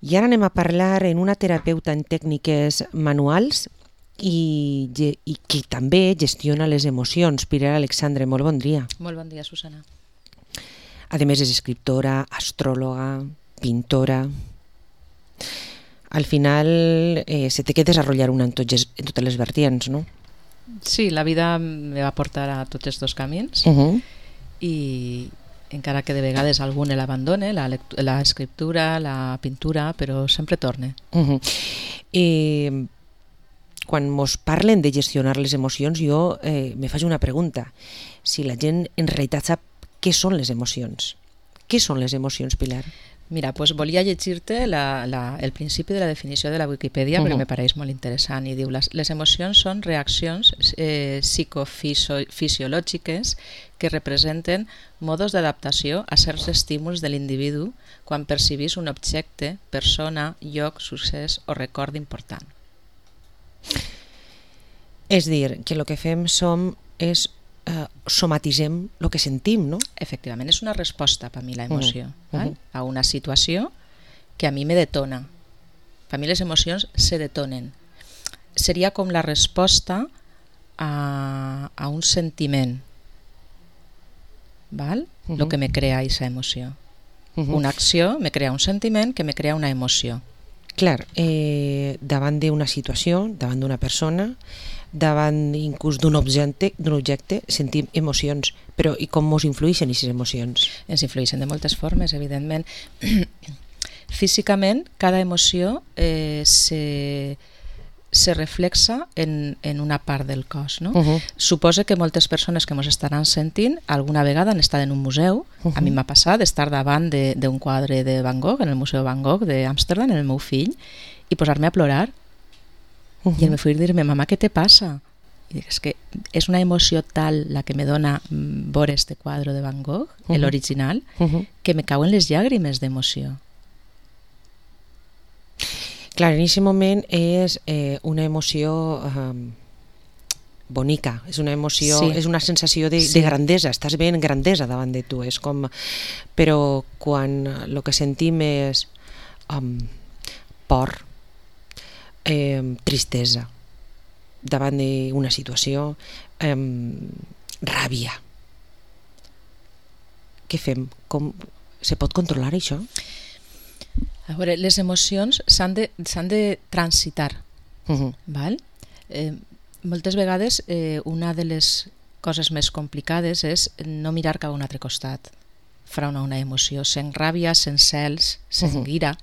I ara anem a parlar en una terapeuta en tècniques manuals i que també gestiona les emocions. Pilar Alexandre, molt bon dia. Molt bon dia, Susana. A més és escriptora, astròloga, pintora. Al final se té que desenvolupar una en totes les vertients, no? Sí, la vida me va portar a tots els dos camins i encara que de vegades algun l'abandone, l'escriptura, la pintura, però sempre torne. Quan mos parlen de gestionar les emocions, jo me faig una pregunta. Si la gent en realitat sap què són les emocions. Què són les emocions, Pilar? Mira, doncs volia llegir-te el principi de la definició de la Wikipedia perquè me pareix molt interessant i diu les emocions són reaccions psicofisiològiques que representen modos d'adaptació a certs estímuls de l'individu quan percibís un objecte, persona, lloc, succés o record important. És dir, que el que fem és somatitzem el que sentim, no? Efectivament, és una resposta per mi l'emoció a una situació que a mi me detona. Per mi les emocions se detonen. Seria com la resposta a un sentiment, val? Lo que me crea aquesta emoció. Una acció me crea un sentiment que me crea una emoció. Clar, davant d'una situació, davant d'una persona, davant inclús d'un objecte, sentim emocions, però i com ens influeixen aquestes emocions? Ens influeixen de moltes formes, evidentment. Físicament, cada emoció se reflexa en una part del cos. No? Suposa que moltes persones que ens estaran sentint alguna vegada han estat en un museu. A mi m'ha passat estar davant d'un quadre de Van Gogh, en el Museu Van Gogh d'Amsterdam, en el meu fill, i posar-me a plorar. I el meu fill dir-me, mama, què te passa? I dic, és que és una emoció tal la que me dona veure este quadre de Van Gogh, l'original, que me cauen les llàgrimes d'emoció. Clar, en aquest moment és una emoció bonica, és una emoció, és una sensació de grandesa, estàs ben grandesa davant de tu, és com... Però quan el que sentim és por, tristesa davant d'una situació, ràbia. Què fem? Com se pot controlar això? A veure, les emocions s'han de transitar. Val? Moltes vegades una de les coses més complicades és no mirar cap a un altre costat front a una emoció. Sent ràbia, sent cels, sent ira.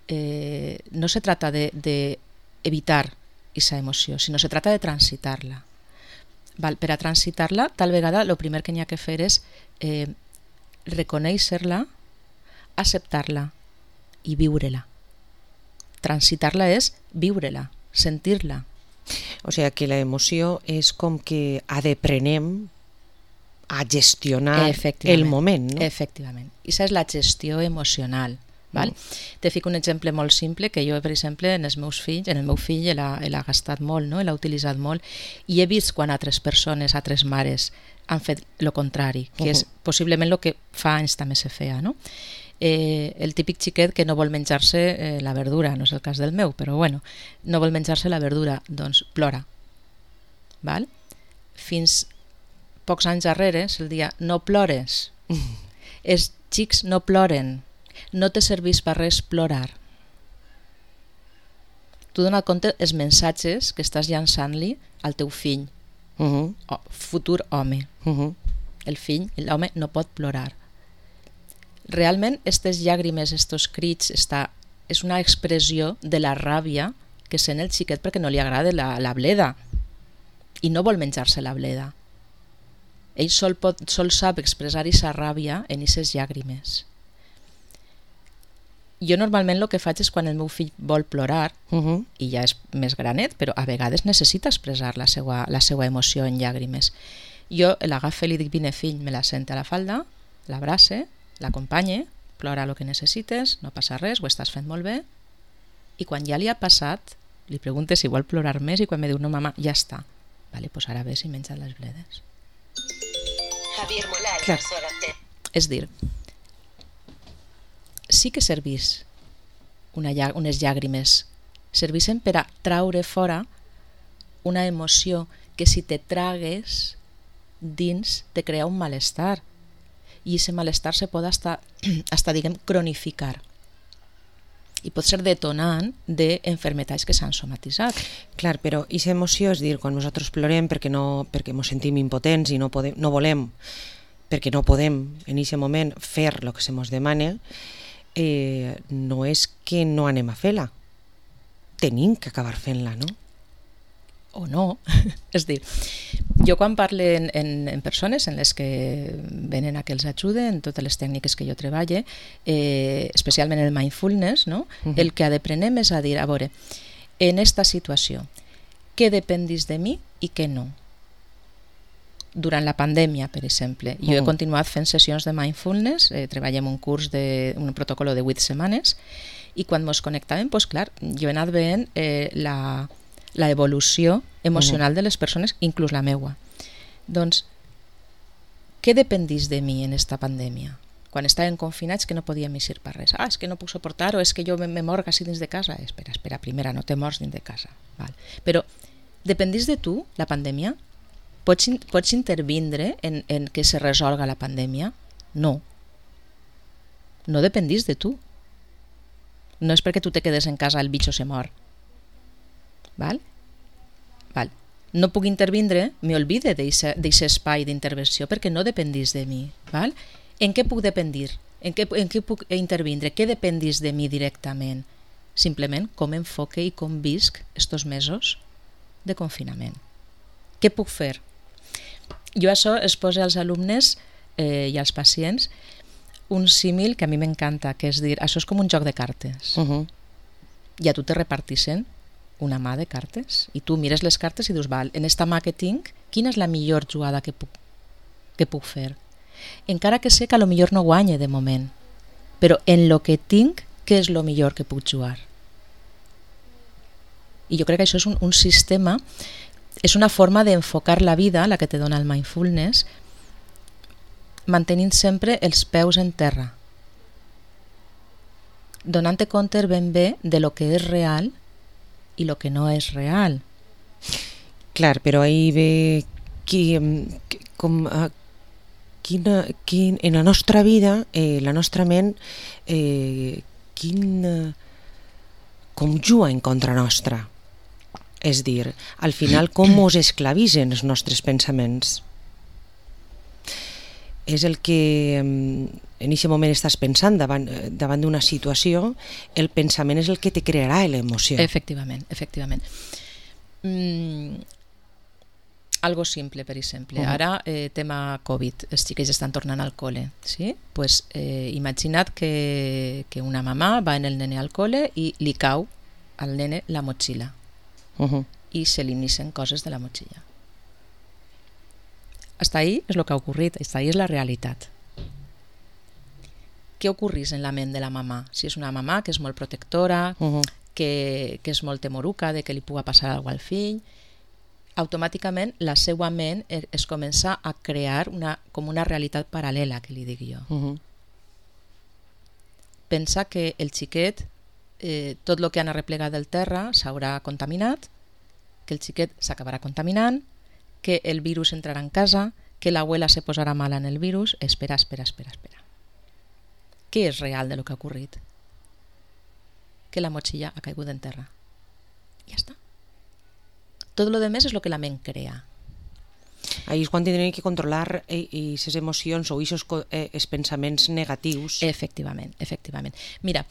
No se trata de evitar esa emoció, sinó se trata de transitar-la. Per a transitar-la, tal vegada el primer que n'hi ha que fer és reconèixer-la, acceptar-la i viure-la. Transitar-la és viure-la, sentir-la. O sigui que la emoció és com que aprenem a gestionar el moment, no? Efectivament. Aquesta és la gestió emocional. Val? Te fico un exemple molt simple que jo, per exemple, en el meu fill l'ha gastat molt, no? L'ha utilitzat molt i he vist quan altres persones, altres mares han fet el contrari, que és possiblement el que fa anys també se feia, no? El típic xiquet que no vol menjar-se la verdura, no és el cas del meu, però bueno, no vol menjar-se la verdura, doncs plora. Val? Fins pocs anys darrere se'l dia no plores, els xics no ploren, no te serveix per res plorar. Tu dona compte els mensatges que estàs llançant-li al teu fill, futur home. El fill, l'home, no pot plorar. Realment, aquestes llàgrimes, aquests crits, és una expressió de la ràbia que sent el xiquet perquè no li agrada la bleda i no vol menjar-se la bleda. Ell sol sap expressar aquesta ràbia en aquestes llàgrimes. Jo normalment el que faig és quan el meu fill vol plorar, i ja és més granet, però a vegades necessita expressar la seva emoció en llàgrimes. Jo l'agafe i li dic, vine fill, me la sente a la falda, l'abrace, l'acompanye, plora el que necessites, no passa res, ho estàs fent molt bé, i quan ja li ha passat, li pregunte si vol plorar més i quan me diu, no mama, ja està. Vale, pues ara ves i menja les bledes. És dir, sí que servís unes llàgrimes, serveixen per a traure fora una emoció que si te tragues dins te crea un malestar, i aquest malestar se pot hasta diguem, cronificar, i pot ser detonant d'enfermetats que s'han somatitzat. Clar, però aquesta emoció, és dir, quan nosaltres plorem perquè ens sentim impotents i no volem, perquè no podem en aquest moment fer el que se ens demana, no és que no anem a fer-la, tenim que acabar fent-la, no? O no. És dir, jo quan parlo en persones en les que venen a que els ajude en totes les tècniques que jo treballe, especialment en el mindfulness, no? El que aprenem és a dir, a veure, en esta situació, què dependis de mi i què no? Durant la pandèmia, per exemple, jo he continuat fent sessions de mindfulness, treballem un curs un protocol de 8 setmanes, i quan ens connectàvem, doncs clar, jo he anat veient la evolució emocional de les persones, inclús la meua. Doncs, què dependís de mi en esta pandèmia? Quan estàvem confinats que no podíem eixir per res. És que no puc suportar, o és que jo me morg així dins de casa. Espera, primera, no te mors dins de casa. Val. Però, dependís de tu, la pandèmia? Pots intervindre en que se resolga la pandèmia? No. No dependís de tu. No és perquè tu te quedes en casa el bitxo se mor. Val? No puc intervindre, m'olvide d'aquest espai d'intervenció perquè no dependís de mi. Val? En què puc dependir? En què puc intervindre? Què dependís de mi directament? Simplement com enfoque i com visc estos mesos de confinament. Què puc fer? Jo això es posa als alumnes i als pacients un símil que a mi m'encanta, que és dir, això és com un joc de cartes. I a tu te repartixen una mà de cartes, i tu mires les cartes i dius, val, en esta mà que tinc, quina és la millor jugada que puc fer? Encara que sé que a lo millor no guanye de moment, però en lo que tinc, què és lo millor que puc jugar? I jo crec que això és un sistema, és una forma d'enfocar la vida, la que te dona el mindfulness, mantenint sempre els peus en terra, donant-te compte ben bé de lo que és real i lo que no és real. Clar, però ahí ve en la nostra vida, la nostra ment, com juga en contra nostra. És dir, al final com ens esclavitzen els nostres pensaments. És el que en aquest moment estàs pensant davant d'una situació, el pensament és el que te crearà l'emoció. Efectivament. Algo simple, per exemple. Ara, tema Covid, els xiquets estan tornant al col·le. Sí? Pues, imagina't que una mamà va en el nene al col·le i li cau al nene la motxilla i se li nicen coses de la motxilla. Hasta ahí és el que ha ocorrit, hasta ahí és la realitat. Què ocorrís en la ment de la mamà? Si és una mamà que és molt protectora, que és molt temoruca de que li pugui passar alguna cosa al fill, automàticament la seva ment es comença a crear com una realitat paral·lela, que li dic jo. Pensa que el xiquet, tot el que han arreplegat del terra s'haurà contaminat, que el xiquet s'acabarà contaminant, que el virus entrarà en casa, que l'abuela se posarà mala en el virus. Espera. Què és real de lo que ha ocorrit? Que la motxilla ha caigut en terra. Ja està. Tot lo demés és el que la ment crea. Ahí és quan tindrem que controlar aquestes emocions o aquests pensaments negatius. Efectivament. Mira,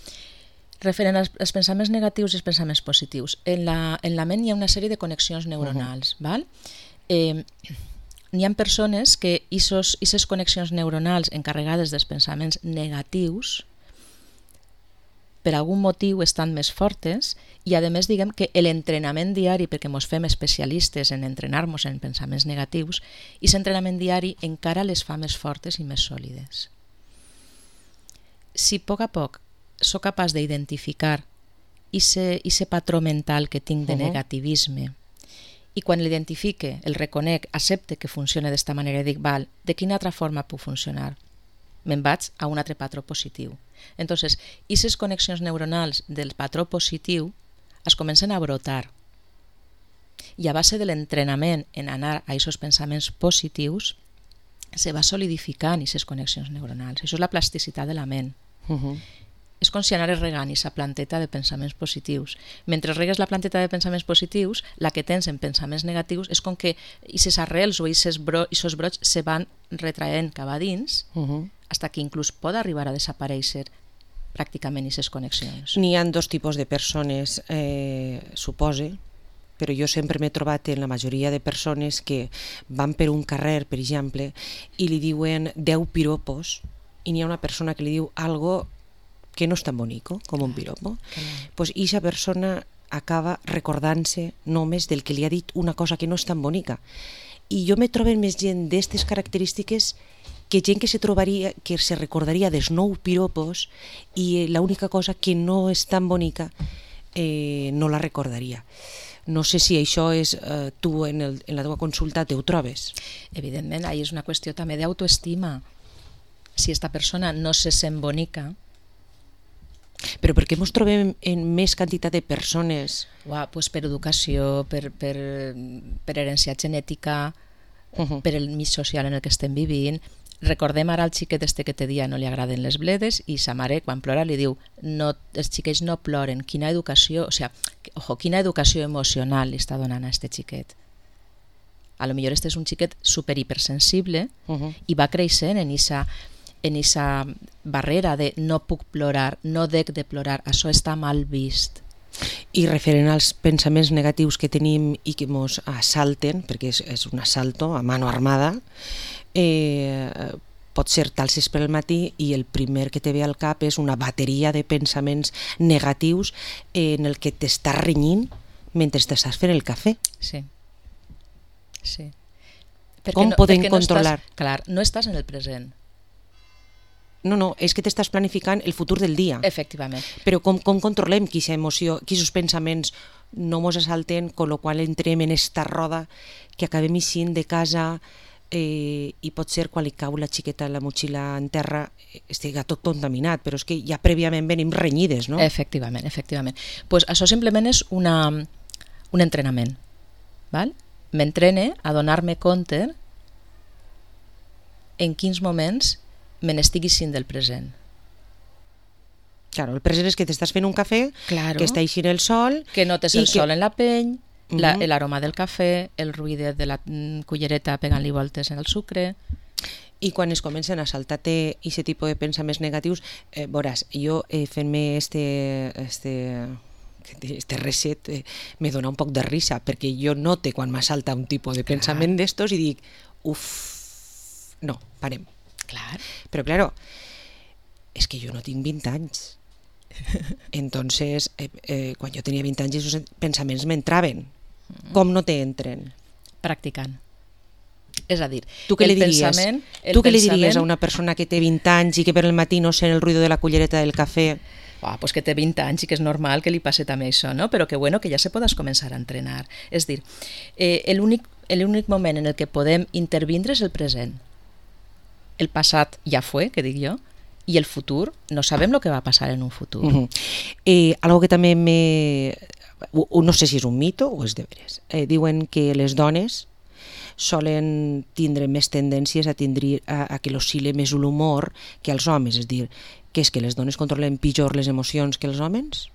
referent als pensaments negatius i els pensaments positius, en la ment hi ha una sèrie de connexions neuronals, val? N'hi ha persones que aquestes connexions neuronals encarregades dels pensaments negatius per algun motiu estan més fortes i a més diguem que l'entrenament diari, perquè ens fem especialistes en entrenar-nos en pensaments negatius, i aquest entrenament diari encara les fa més fortes i més sòlides. Si a poc soc capaç d'identificar aquest patró mental que tinc de negativisme, i quan l'identifique, el reconec, accepte que funciona d'esta manera i dic, val, de quina altra forma puc funcionar? Me'n vaig a un altre patró positiu. Entonces, aquestes connexions neuronals del patró positiu es comencen a brotar. I a base de l'entrenament en anar a aquests pensaments positius, se va solidificant aquestes connexions neuronals. Això és la plasticitat de la ment. És com si anares regant aquesta planteta de pensaments positius. Mentre regues la planteta de pensaments positius, la que tens en pensaments negatius és com que aquestes arrels o aquests brots se van retraient cap a dins, fins que inclús pot arribar a desaparèixer pràcticament aquestes connexions. N'hi ha dos tipus de persones, supose, però jo sempre m'he trobat en la majoria de persones que van per un carrer, per exemple, i li diuen 10 piropos, i n'hi ha una persona que li diu algo que no és tan bonico com un piropo. Pues aquesta persona acaba recordant-se només del que li ha dit una cosa que no és tan bonica. I jo me trobo més gent d'aquestes característiques que gent que se recordaria dels 9 piropos i l'única cosa que no és tan bonica no la recordaria. No sé si això és, tu en la teva consulta te ho trobes. Evidentment, ahí és una qüestió també d'autoestima. Si esta persona no se sent bonica... Però per què ens trobem en més quantitat de persones? Pues per educació, per herència genètica, per el mig social en el que estem vivint. Recordem ara al xiquet este que te dia no li agraden les bledes i sa mare quan plora li diu els xiquets no ploren, quina educació, quina educació emocional li està donant a este xiquet. A lo millor este és un xiquet super hipersensible i va creixent en esa barrera de no puc plorar, no dec de plorar, això està mal vist. I referent als pensaments negatius que tenim i que ens assalten, perquè és un assalto a mano armada, pot ser t'alces pel matí i el primer que te ve al cap és una bateria de pensaments negatius en el que t'estàs renyint mentre t'estàs fent el cafè. Sí. Com podem controlar? Clar, no estàs en el present. No, és que t'estàs planificant el futur del dia. Efectivament. Però com controlem aquesta emoció, aquests pensaments no ens assalten, amb la qual entrem en esta roda que acabem eixint de casa i pot ser quan li cau la xiqueta la motxilla en terra estiga tot contaminat, però és que ja prèviament venim renyides, no? Efectivament. Pues això simplement és un entrenament. M'entrene a donar-me compte en quins moments me n'estigui sent del present. Claro, el present és que t'estàs fent un cafè, que està eixint el sol... Que notes el sol en la pell, l'aroma del cafè, el ruïdet de la cullereta pegant-li voltes en el sucre... I quan es comencen a saltar-te aquest tipus de pensaments negatius, veuràs, jo fent-me este reset me dona un poc de risa, perquè jo note quan m'assalta un tipus de pensament d'estos i dic, no, parem. Clar. Però claro, és que jo no tinc 20 anys. Entonces, quan jo tenia 20 anys, aquests pensaments m'entraven. Com no t'entren? Practicant. És a dir, tu què li diries a una persona que té 20 anys i que per el matí no sent el ruïdo de la cullereta del cafè? Pues que té 20 anys i que és normal que li passi també això, no? Però que bueno, que ja se podes començar a entrenar. És dir, l'únic moment en el que podem intervindre és el present. El passat ja fue, que dic jo, i el futur, no sabem el que va passar en un futur. Algo que també no sé si és un mito o és de veres. Diuen que les dones solen tindre més tendències a que l'oscil·le més l'humor que els homes, és dir, que és que les dones controlen pitjor les emocions que els homes?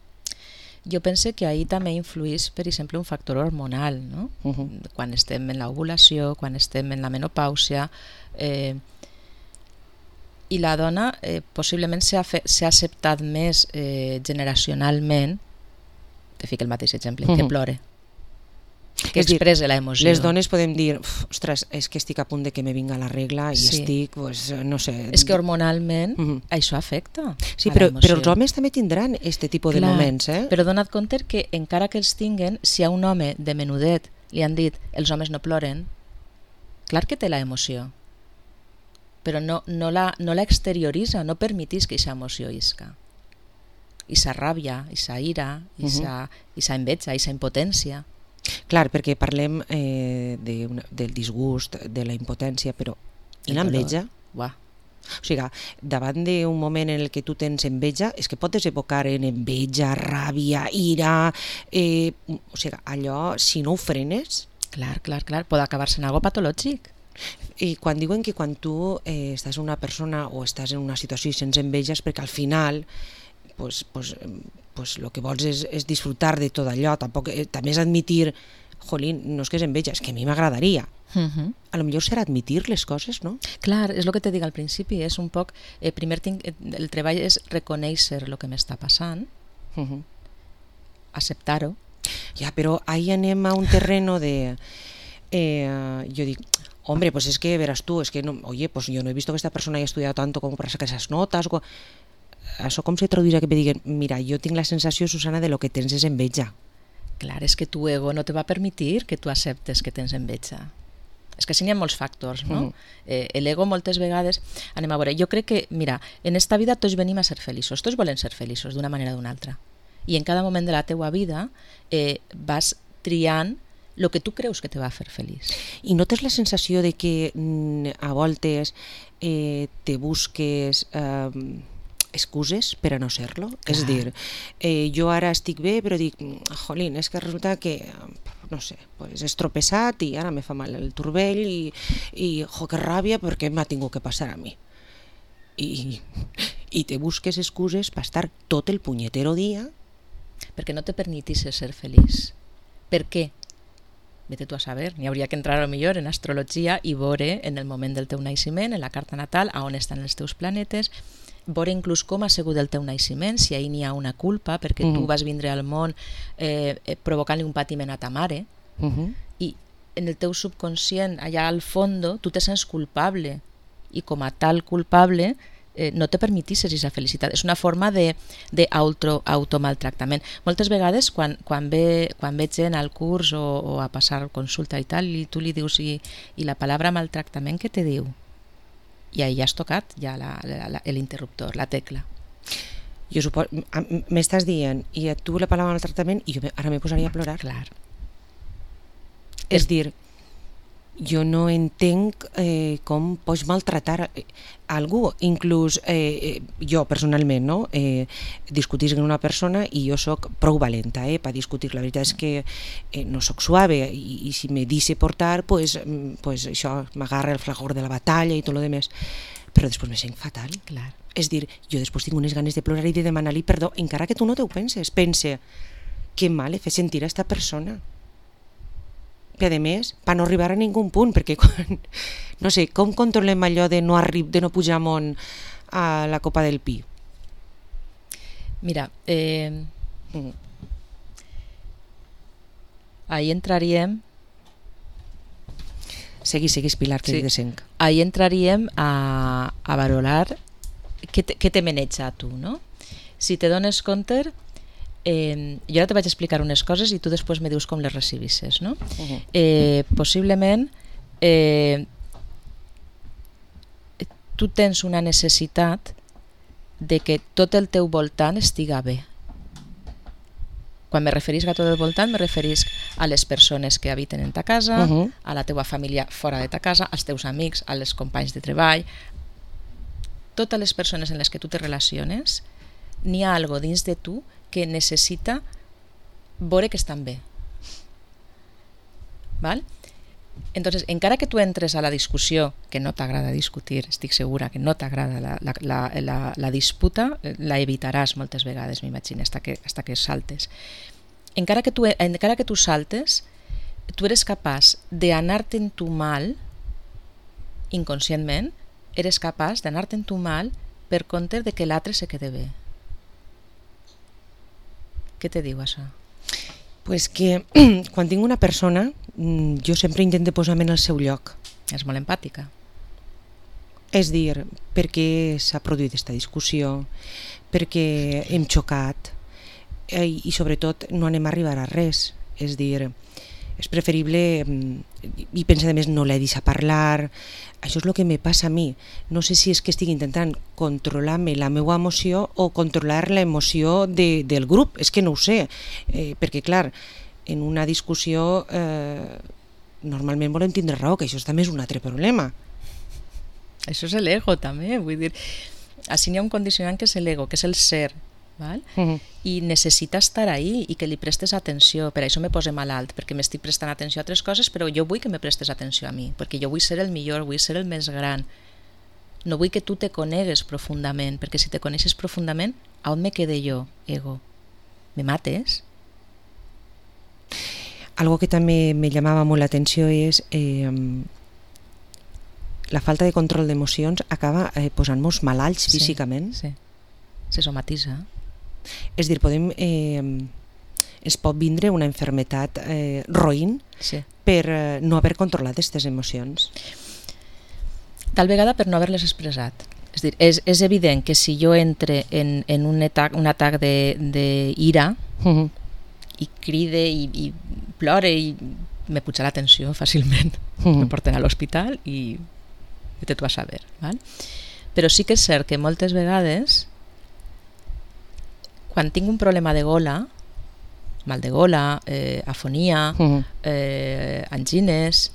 Jo penso que ahí també influís, per exemple, un factor hormonal, no? Quan estem en l'ovulació, quan estem en la menopàusia, i la dona possiblement s'ha acceptat més generacionalment, te fico el mateix exemple, que plore, que expressa l'emoció. Les dones podem dir, ostres, és que estic a punt de que me vinga la regla i estic, no sé... És que hormonalment això afecta. Sí, però els homes també tindran aquest tipus de moments, Però dona't compte que encara que els tinguen, si a un home de menudet li han dit els homes no ploren, clar que té l'emoció, però no la exterioritza, no permetís que aquesta emoció isca. Esa ràbia, esa ira, esa enveja, esa impotència. Clar, perquè parlem del disgust, de la impotència, però i l'enveja? O sigui, davant d'un moment en el que tu tens enveja, és que pot desembocar en enveja, ràbia, ira, o sigui, allò, si no ho frenes... Clar, pot acabar-se en algo patològic. I quan diuen que quan tu estàs una persona o estàs en una situació i sense enveja és perquè al final lo que vols és disfrutar de tot allò, tampoc, també és admitir, jolín, no és que és enveja, és que a mi m'agradaria. A lo millor serà admitir les coses, no? Clar, és el que te dic al principi, és un poc, primer el treball és reconèixer el que m'està passant, acceptar-ho. Ja, però ahí anem a un terreno de... yo digo, hombre, pues es que verás tú, es que no, oye, pues yo no he visto que esta persona haya estudiado tanto como para sacar esas notas. Això com se traduirà que me diguen, mira, jo tinc la sensació, Susana, de lo que tens és enveja. Clar, és que tu ego no te va permitir que tu acceptes que tens enveja. És que sí n'hi ha molts factors, no? L'ego moltes vegades... Anem a veure, jo crec que, mira, en esta vida tots venim a ser feliços, tots volem ser feliços d'una manera o d'una altra. I en cada moment de la teua vida vas triant el que tu creus que te va fer feliç. I notes la sensació de que a voltes te busques excuses per a no ser-lo? És a dir, jo ara estic bé, però dic, jolín, és que resulta que, no sé, pues he estropessat i ara me fa mal el turmell i que ràbia perquè m'ha tingut que passar a mi. I te busques excuses per estar tot el punyetero dia... Perquè no te permetisses ser feliç. Per què? Vete tu a saber, n'hi hauria que entrar a lo millor en astrologia i veure en el moment del teu naixement, en la carta natal, a on estan els teus planetes, veure inclús com ha sigut el teu naixement, si ahir n'hi ha una culpa, perquè tu vas vindre al món provocant-li un patiment a ta mare, i en el teu subconscient, allà al fondo, tu te sents culpable, i com a tal culpable no te permetisses aquesta felicitat. És una forma d'automaltractament. Moltes vegades, quan ve gent al curs o a passar consulta i tal, i tu li dius, i la paraula maltractament, què te diu? I ahí ja has tocat ja l'interruptor, la tecla. Jo suposo, m'estàs dient, i tu la paraula maltractament, i jo ara me posaria a plorar. Clar. És dir, jo no entenc com pots maltratar algú, inclús jo personalment, no? Discutir amb una persona i jo soc prou valenta per discutir. La veritat és que no soc suave i si me deixe portar, pues això m'agarra el fragor de la batalla i tot lo demés, però després me sent fatal. Clar. És dir, jo després tinc unes ganes de plorar i de demanar-li perdó, encara que tu no t'ho penses. Pense, que mal he fet sentir a esta persona. Que a més, per no arribar a ningú punt, perquè no sé, com controlem allò de no pujar amunt a la copa del pi? Mira, ahí entraríem... Seguis, Pilar, que de senc. Ahí entraríem a valorar què te maneja a tu, no? Si te dones compte... jo ara te vaig explicar unes coses i tu després me dius com les recibisses, no? Possiblement tu tens una necessitat de que tot el teu voltant estiga bé. Quan me referisc a tot el voltant, me referisc a les persones que habiten en ta casa, a la teua família fora de ta casa, als teus amics, als companys de treball. Totes les persones en les que tu te relaciones, n'hi ha algo dins de tu que necessita veure que estan bé. Val? Entonces, encara que tu entres a la discussió, que no t'agrada discutir, estic segura que no t'agrada la disputa, la evitaràs moltes vegades, m'imagino, hasta que saltes. Encara que tu saltes, tu eres capaç d'anar-te'n tu mal, inconscientment, eres capaç d'anar-te'n tu mal per compte de que l'altre se quede bé. Què te diu això? Pues que quan tinc una persona, jo sempre intento posar-me en el seu lloc. És molt empàtica. És dir, perquè s'ha produït aquesta discussió, perquè hem xocat i sobretot no anem a arribar a res. És dir, és preferible, i pensa a més no l'he deixat parlar, això és el que me passa a mi. No sé si és que estic intentant controlar-me la meva emoció o controlar l'emoció del grup, és que no ho sé, perquè clar, en una discussió normalment volem tindre raó, que això també és un altre problema. Això és l'ego també, vull dir, així n'hi ha un condicionant que és l'ego, que és el ser, val? I necessita estar ahí i que li prestes atenció. Per això me pose malalt, perquè m'estic prestant atenció a altres coses, però jo vull que me prestes atenció a mi, perquè jo vull ser el millor, vull ser el més gran. No vull que tu te conegues profundament, perquè si te coneixes profundament, a on me quede jo, ego? Me mates? Algo que també me llamava molt l'atenció és la falta de control d'emocions acaba posant-nos malalts físicament. Sí, se somatitza. És dir, es pot vindre una enfermetat roïn per no haver controlat aquestes emocions. Tal vegada per no haver-les expressat. És dir, és evident que si jo entre en un atac d'ira i cride i plore i me puja la tensió fàcilment, me porten a l'hospital i vete tu a saber, val? Però sí que és cert que moltes vegades quan tinc un problema de gola, mal de gola, afonia, angines,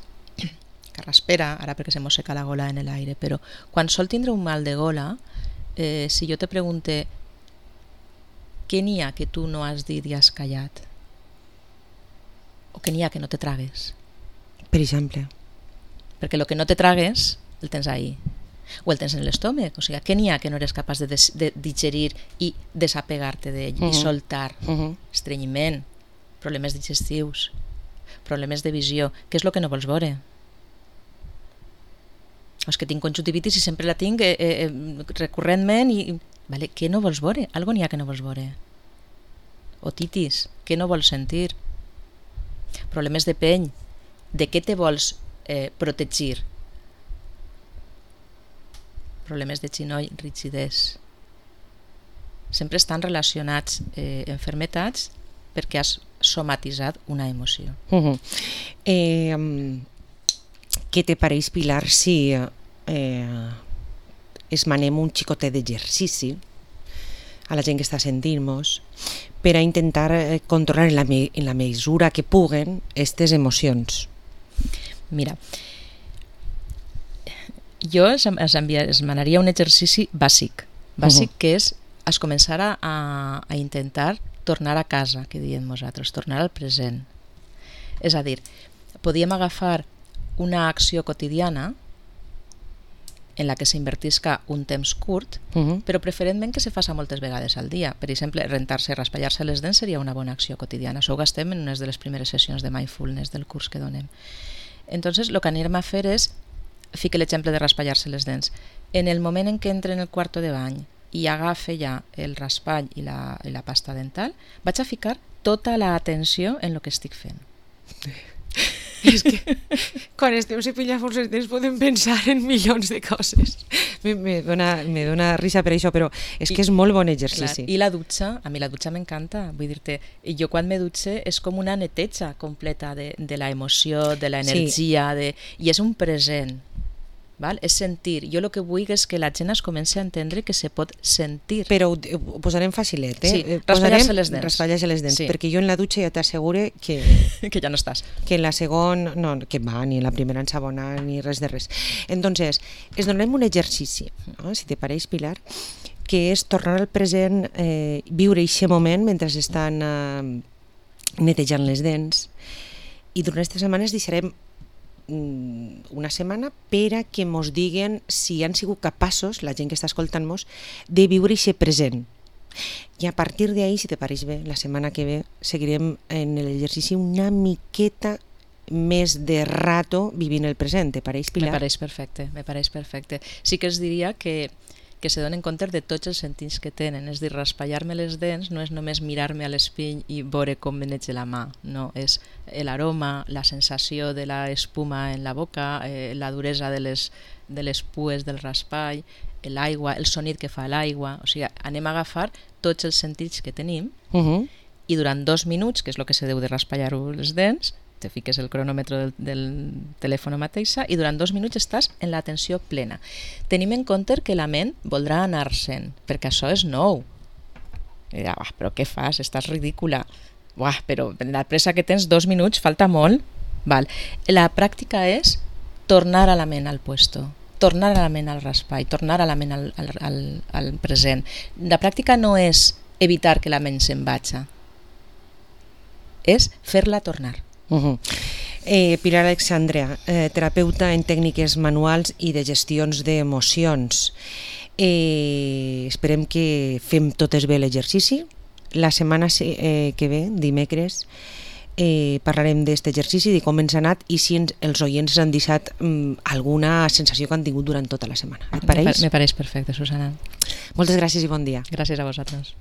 carraspera, ara perquè se mosseca la gola en l'aire, però quan sol tindre un mal de gola, si jo te pregunte què n'hi ha que tu no has dit i has callat? O què n'hi ha que no te tragues? Per exemple. Perquè el que no te tragues el tens ahí, o el tens en l'estómac, o sigui, què n'hi ha que no eres capaç de digerir i desapegar-te d'ell i soltar? Estrenyiment, problemes digestius, problemes de visió. Què és el que no vols veure? És que tinc conjuntivitis i sempre la tinc recurrentment i... Vale, què no vols veure? Algo n'hi ha que no vols veure. Otitis, què no vols sentir? Problemes de pell, de què te vols protegir? Problemes de genoll, rigidesa. Sempre estan relacionats enfermetats perquè has somatitzat una emoció. Què te pareix, Pilar, si esmanem un xicotet d'exercici a la gent que està sentint-nos per a intentar controlar en la mesura que puguen aquestes emocions? Mira, jo esmanaria un exercici bàsic que és començar a intentar tornar a casa, que diem nosaltres, tornar al present. És a dir, podíem agafar una acció quotidiana en la que s'invertisca un temps curt, però preferentment que se faça moltes vegades al dia. Per exemple, rentar-se, raspallar-se les dents seria una bona acció quotidiana. Això ho gastem en unes de les primeres sessions de mindfulness del curs que donem. Entonces, el que anirem a fer és, fique l'exemple de raspallar-se les dents. En el moment en què entre en el quarto de bany i agafe ja el raspall i la pasta dental, vaig a ficar tota l'atenció en el que estic fent. És que quan estem cepillant-nos els dents podem pensar en milions de coses. Me dona risa per això, però és que és molt bon exercici. Clar. I la dutxa, a mi la dutxa m'encanta. Vull dir-te, jo quan me dutxe és com una neteja completa de la emoció, de l'energia, i és un present. Val? És sentir. Jo el que vull és que la gent es comenci a entendre que se pot sentir. Però ho posarem facilet, Sí, raspallar-se les dents. Raspallar-se les dents, sí. Perquè jo en la dutxa ja t'assegure que ja no estàs. Que en la segona, no, que va, ni en la primera ensabona, ni res de res. Entonces, es donem un exercici, no? Si te pareix, Pilar, que és tornar al present, viure aquest moment mentre estan netejant les dents, i durant aquestes setmanes deixarem una setmana per a que mos diguen si han sigut capaços, la gent que està escoltant-nos, de viure aquest present. I a partir d'ahí, si te pareix bé, la setmana que ve seguirem en l'exercici una miqueta més de rato vivint el present. Te pareix, Pilar? Me pareix perfecte. Sí que es diria que se donen compte de tots els sentits que tenen. És dir, raspallar-me les dents no és només mirar-me a l'espill i veure com me neig la mà. No, és l'aroma, la sensació de l'espuma en la boca, la duresa de les pues del raspall, l'aigua, el sonit que fa l'aigua. O sigui, anem a agafar tots els sentits que tenim i durant 2 minuts, que és el que se deu de raspallar-ho les dents, te fiques el cronòmetre del telèfon mateixa i durant 2 minuts estàs en l'atenció plena. Tenim en compte que la ment voldrà anar-se'n, perquè això és nou. I dirà, però què fas? Estàs ridícula. Però la pressa que tens, 2 minuts, falta molt. Val. La pràctica és tornar a la ment al puesto. tornar a la ment al raspall, tornar a la ment al present. La pràctica no és evitar que la ment se'n vagi, és fer-la tornar. Pilar Alexandra, terapeuta en tècniques manuals i de gestions d'emocions. Esperem que fem totes bé l'exercici. La setmana que ve, dimecres, parlarem d'aquest exercici, de com ens ha anat i si els oients han deixat alguna sensació que han tingut durant tota la setmana. Et pareix? Me pareix perfecte, Susana. Moltes gràcies i bon dia. Gràcies a vosaltres.